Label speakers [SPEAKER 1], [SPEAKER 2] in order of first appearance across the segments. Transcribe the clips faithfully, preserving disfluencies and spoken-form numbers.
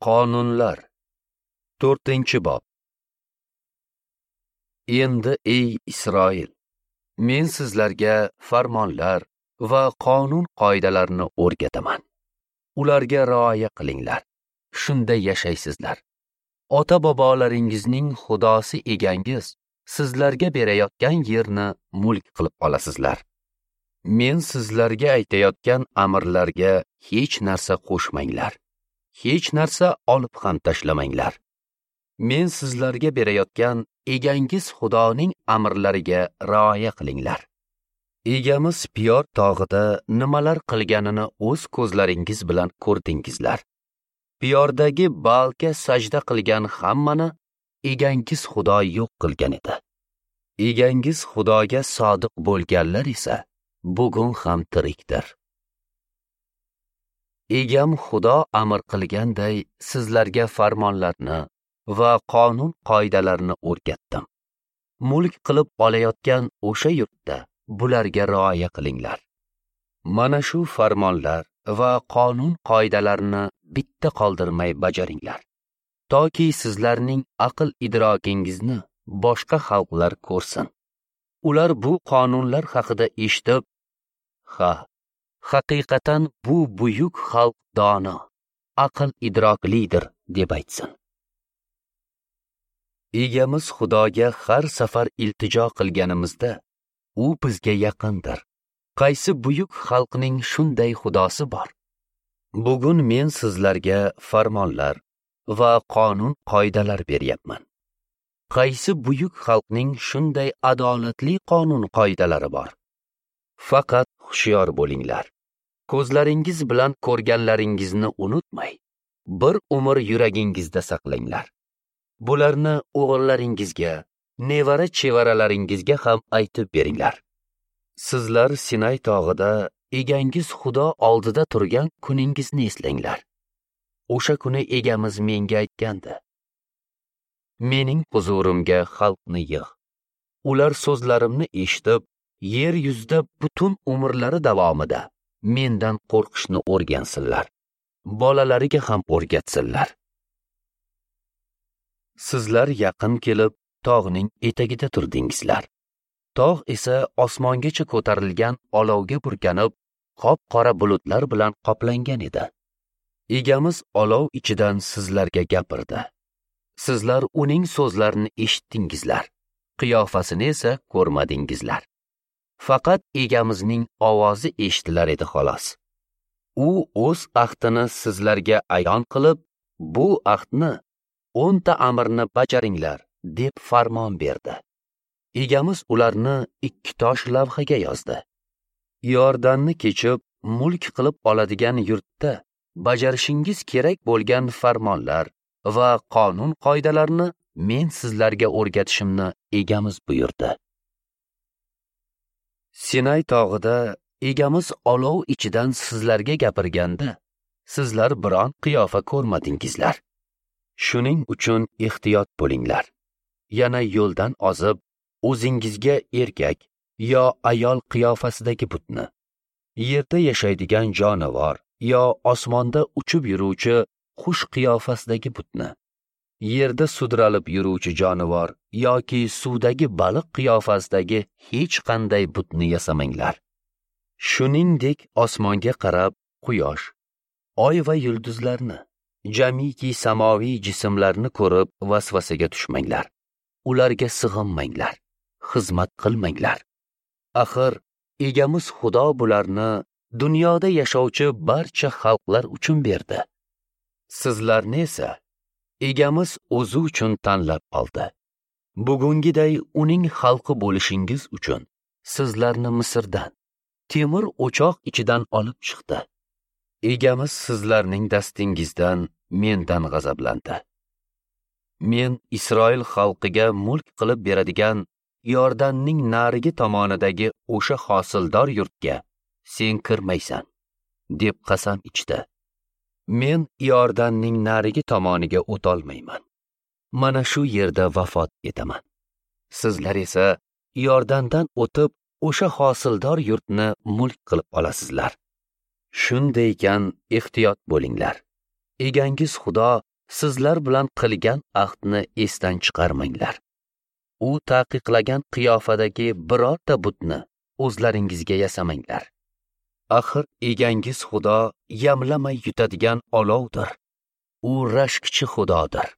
[SPEAKER 1] Qonunlar to'rtinchi bob. Endi ey Isroil, men sizlarga farmonlar va qonun qoidalarini o'rgataman. Ularga rioya qilinglar. Shunda yashaysizlar. Ota-bobolaringizning Xudosi egangiz sizlarga berayotgan yerni mulk qilib olasizlar. Men sizlarga aytayotgan amirlarga hech narsa qo'shmanglar. Hech narsa olib ham tashlamanglar. Men sizlarga berayotgan egangiz Xudoning amirlariga rioya qilinglar. Egamiz Piyor tog'ida nimalar qilganini o'z ko'zlaringiz bilan ko'rdingizlar. Piyordagi Baalga sajda qilgan hammani egangiz Xudo yo'q qilgan edi. Egangiz Xudoga sodiq bo'lganlar esa bugun ham tirikdir. Egam Xudo amr qilganday sizlarga farmonlarni va qonun qoidalarini o'rgatdim. Mulk qilib olayotgan o'sha yurtda bularga rioya qilinglar. Mana shu farmonlar va qonun qoidalarini bitta qoldirmay bajaringlar. Toki sizlarning aql idrokingizni boshqa xalqlar ko'rsin. Ular bu qonunlar haqida eshitib, ha, haqiqatan bu buyuk xalq dono, aql idroklidir deb aytsin. Egamiz Xudoga har safar iltijo qilganimizda u bizga yaqindir. Qaysi buyuk xalqning shunday xudosi bor? Bugun men sizlarga farmonlar va qonun qoidalar beryapman. Qaysi buyuk xalqning shunday adolatli qonun qoidalari bor? Faqat hushyor bo'linglar. Ko'zlaringiz bilan ko'rganlaringizni unutmay, bir umr yuragingizda saqlanglar. Bularni o'g'illaringizga, nevara chevaralaringizga ham aytib beringlar. Sizlar Sinay tog'ida egangiz Xudo oldida turgan kuningizni eslanglar. O'sha kuni egamiz menga aytgandi: mening huzurimga xalqni yig'. Ular so'zlarimni eshitib, yer yuzida butun umrlari davomida mendan qo'rqishni o'rgansinlar. Bolalariga ham o'rgatsinlar. Sizlar yaqin kelib tog'ning etagida turdingizlar. Tog' esa osmongacha ko'tarilgan olovga burkanib, qop-qora bulutlar bilan qoplangan edi. Egamiz olov ichidan sizlarga gapirdi. Sizlar uning so'zlarini eshitdingizlar, qiyofasini esa ko'rmadingizlar. Faqat egamizning ovozi eshitilar edi xolos. U o'z ahdini sizlarga ayon qilib, bu ahdni o'nta amrni bajaringlar deb farmon berdi. Egamiz ularni ikki tosh lavhaga yozdi. Iordanni kechib, mulk qilib oladigan yurtda bajarishingiz kerak bo'lgan farmonlar va qonun qoidalarni men sizlarga o'rgatishimni egamiz buyurdi. Sinay tog'ida egamiz olov ichidan sizlarga gapirganda, sizlar biron qiyofa ko'rmadingizlar. Shuning uchun ehtiyot bo'linglar. Yana yo'ldan ozib, o'zingizga erkak yo ayol qiyofasidagi butni, yerda yashaydigan jonivor yo osmonda uchib yuruvchi qush qiyofasidagi butni, yerda sudralib yuruvchi jonivor yoki suvdagi baliq qiyofasidagi hech qanday butni yasamanglar. Shuningdek, osmonga qarab quyosh, oy va yulduzlarni, jamiki samoviy jismlarni ko'rib vasvasaga tushmanglar. Ularga sig'inmanglar, xizmat qilmanglar. Axir egamiz Xudo bularni dunyoda yashovchi barcha xalqlar uchun berdi. Sizlarni esa egamiz o'zi uchun tanlab oldi. Bugungiday uning xalqi bo'lishingiz uchun sizlarni Misrdan, temir o'choq ichidan olib chiqdi. Egamiz sizlarning dastingizdan mendan g'azablandi. Men Isroil xalqiga mulk qilib beradigan Iordanning narigi tomonidagi o'sha hosildor yurtga sen kirmaysan, deb qasam ichdi. Men Iordanning narigi tomoniga o'tolmayman. Mana shu yerda vafot etaman. Sizlar esa Iordandan o'tib o'sha hosildor yurtni mulk qilib olasizlar. Shunday ekan ehtiyot bo'linglar. Egangiz Xudo sizlar bilan qilgan ahdni esdan chiqarmanglar. U taqiqlagan qiyofadagi birorta butni o'zlaringizga yasamanglar. Axir egangiz Xudo yamlamay yutadigan olovdir. U rashkchi Xudodir.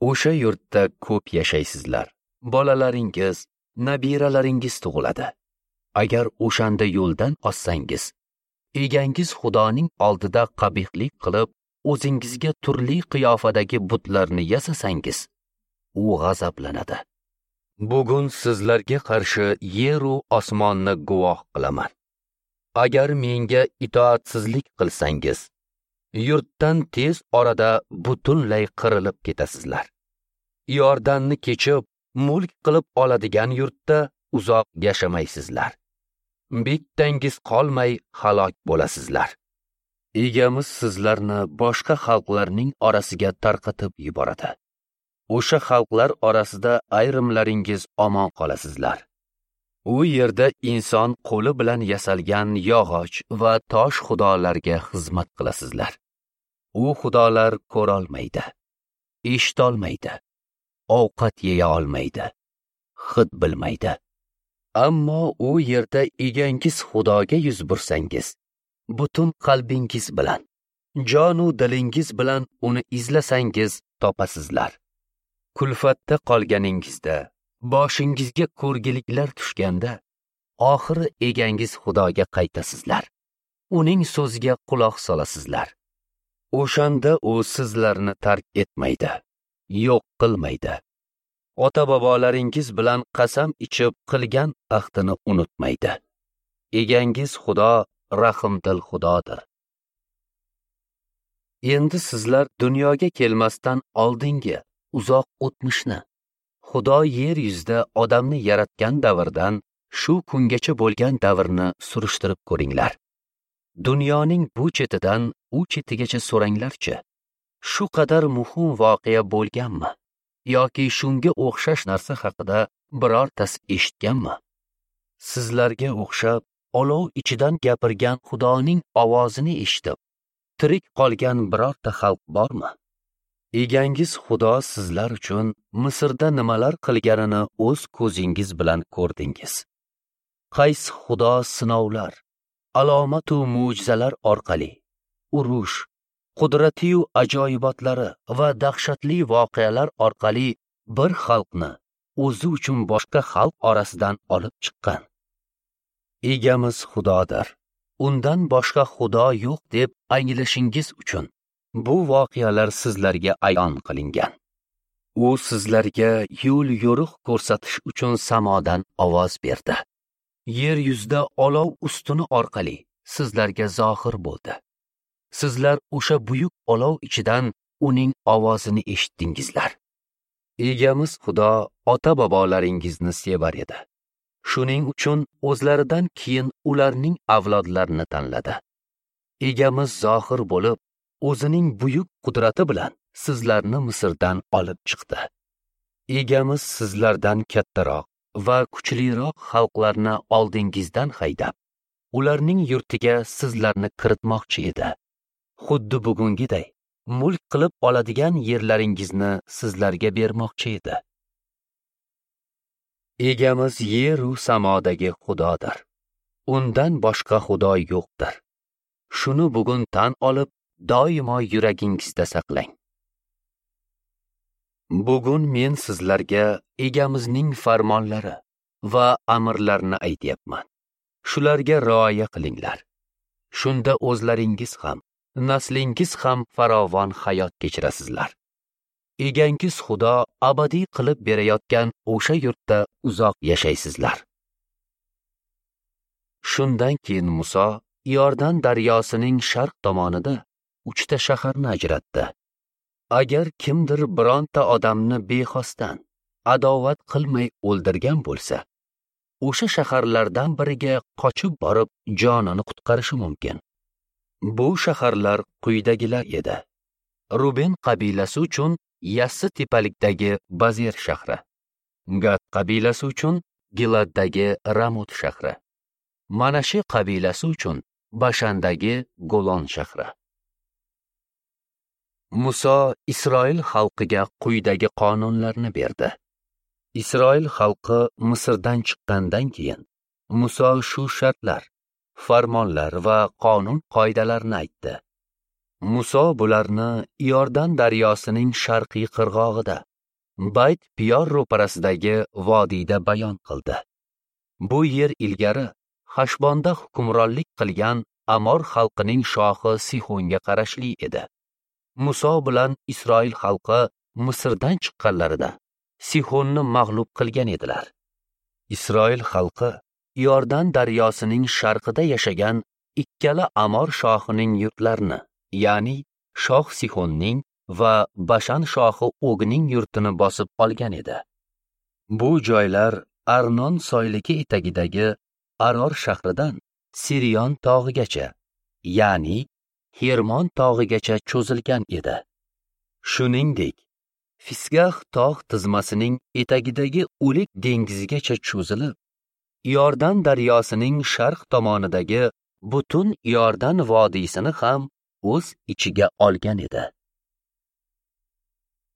[SPEAKER 1] O'sha yurtda ko'p yashaysizlar. Bolalaringiz, nabiralaringiz tug'iladi. Agar o'shanda yo'ldan ozsangiz, egangiz Xudoning oldida qabihlik qilib, o'zingizga turli qiyofadagi butlarni yasasangiz, u g'azablanadi. Bugun sizlarga qarshi yer u osmonni guvoh qilaman. Agar menga itoatsizlik qilsangiz, yurtdan tez orada butunlay qirilib ketasizlar. Iordanni kechib, mulk qilib oladigan yurtda uzoq yashamaysizlar. Bittangiz qolmay halok bo'lasizlar. Egamiz sizlarni boshqa xalqlarning orasiga tarqatib yuboradi. O'sha xalqlar orasida ayrimlaringiz omon qolasizlar. U yerda inson qo'li bilan yasalgan yog'och va tosh xudolarga xizmat qilasizlar. U xudolar ko'rolmaydi, eshitolmaydi, ovqat yeya olmaydi, hid bilmaydi. Ammo u yerda egangiz Xudoga yuz bursangiz, butun qalbingiz bilan, jonu dilingiz bilan uni izlasangiz topasizlar. Kulfatda qolganingizda, boshingizga ko'rgiliklar tushganda, oxiri egangiz Xudoga qaytasizlar. Uning so'ziga quloq solasizlar. O'shanda u sizlarni tark etmaydi, yo'q qilmaydi. Ota-bobolaringiz bilan qasam ichib qilgan ahdini unutmaydi. Egangiz Xudo rahimdil Xudodir. Endi sizlar dunyoga kelmasdan oldingi uzoq o'tmishni, Xudo yer yuzida odamni yaratgan davrdan shu kungacha bo'lgan davrni surishtirib ko'ringlar. Dunyoning bu chetidan u chetigacha so'ranglarchi, shu qadar muhim voqea bo'lganmi yoki shunga o'xshash narsa haqida birortasi eshitganmi? Sizlarga o'xshab olov ichidan gapirgan Xudoning ovozini eshitib, tirik qolgan birorta xalq bormi? Egangiz Xudo sizlar uchun Misrda nimalar qilganini o'z ko'zingiz bilan ko'rdingiz. Qaysi Xudo sinovlar, alomat va mo'jizalar orqali urush, qudratiyu ajoyibotlari va dahshatli voqealar orqali bir xalqni o'zi uchun boshqa xalq orasidan olib chiqqan. Egamiz Xudodir, undan boshqa Xudo yo'q deb anglashingiz uchun bu voqealar sizlarga ayon qilingan. U sizlarga yo'l yo'riq ko'rsatish uchun samodan ovoz berdi. Yer yuzida olov ustuni orqali sizlarga zohir bo'ldi. Sizlar o'sha buyuk olov ichidan uning ovozini eshitdingizlar. Egamiz Xudo ota-bobolaringizni sevar edi. Shuning uchun o'zlaridan keyin ularning avlodlarini tanladi. Egamiz zohir bo'lib, o'zining buyuk qudrati bilan sizlarni Misrdan olib chiqdi. Egamiz sizlardan kattaroq va kuchliroq xalqlarni oldingizdan haydab, ularning yurtiga sizlarni kiritmoqchi edi. Xuddi bugungiday mulk qilib oladigan yerlaringizni sizlarga bermoqchi edi. Egamiz yer u samodagi Xudodir. Undan boshqa Xudo yo'qdir. Shuni bugun tan olib, doimo yuragingizda saqlang. Bugun men sizlarga egamizning farmonlari va amrlarini aytyapman. Shularga rioya qilinglar. Shunda o'zlaringiz ham, naslingiz ham farovon hayot kechirasizlar. Egangiz Xudo abadiy qilib berayotgan o'sha yurtda uzoq yashaysizlar. Shundan keyin Muso Iordan daryosining sharq tomonida uchta shaharni ajratdi. Agar kimdir bironta odamni bexosdan, adovat qilmay o'ldirgan bo'lsa, o'sha shaharlardan biriga qochib borib jonini qutqarishi mumkin. Bu shaharlar quyidagilar edi: Ruben qabilasi uchun Yassi tepalikdagi Bazer shahri, Gad qabilasi uchun Giladdagi Ramot shahri, Manashi qabilasi uchun Bashandagi Golon shahri. Muso Isroil xalqiga quyidagi qonunlarni berdi. Isroil xalqi Misrdan chiqqandan keyin Muso shu shartlar, farmonlar va qonun qoidalarni aytdi. Muso bularni Iordan daryosining sharqiy qirg'og'ida, Bayt Piyor ro'parasidagi vodiyda bayon qildi. Bu yer ilgari Hashbonda hukmronlik qilgan Amor xalqining shohi Sihonga qarashli edi. Muso bilan Isroil xalqi Misrdan chiqqanlarida Sihonni mag'lub qilgan edilar. Isroil xalqi Iordan daryosining sharqida yashagan ikkala Amor shohining yurtlarini, ya'ni shoh Sihonning va Bashan shohi Ogning yurtini bosib olgan edi. Bu joylar Arnon soyligi etagidagi Aror shahridan Sirion tog'igacha, ya'ni Hermon tog'igacha cho'zilgan edi. Shuningdek, Fisgah tog' tizmasining etagidagi O'lik dengizigacha cho'zilib, Iordan daryosining sharq tomonidagi butun Iordan vodiysini ham o'z ichiga olgan edi.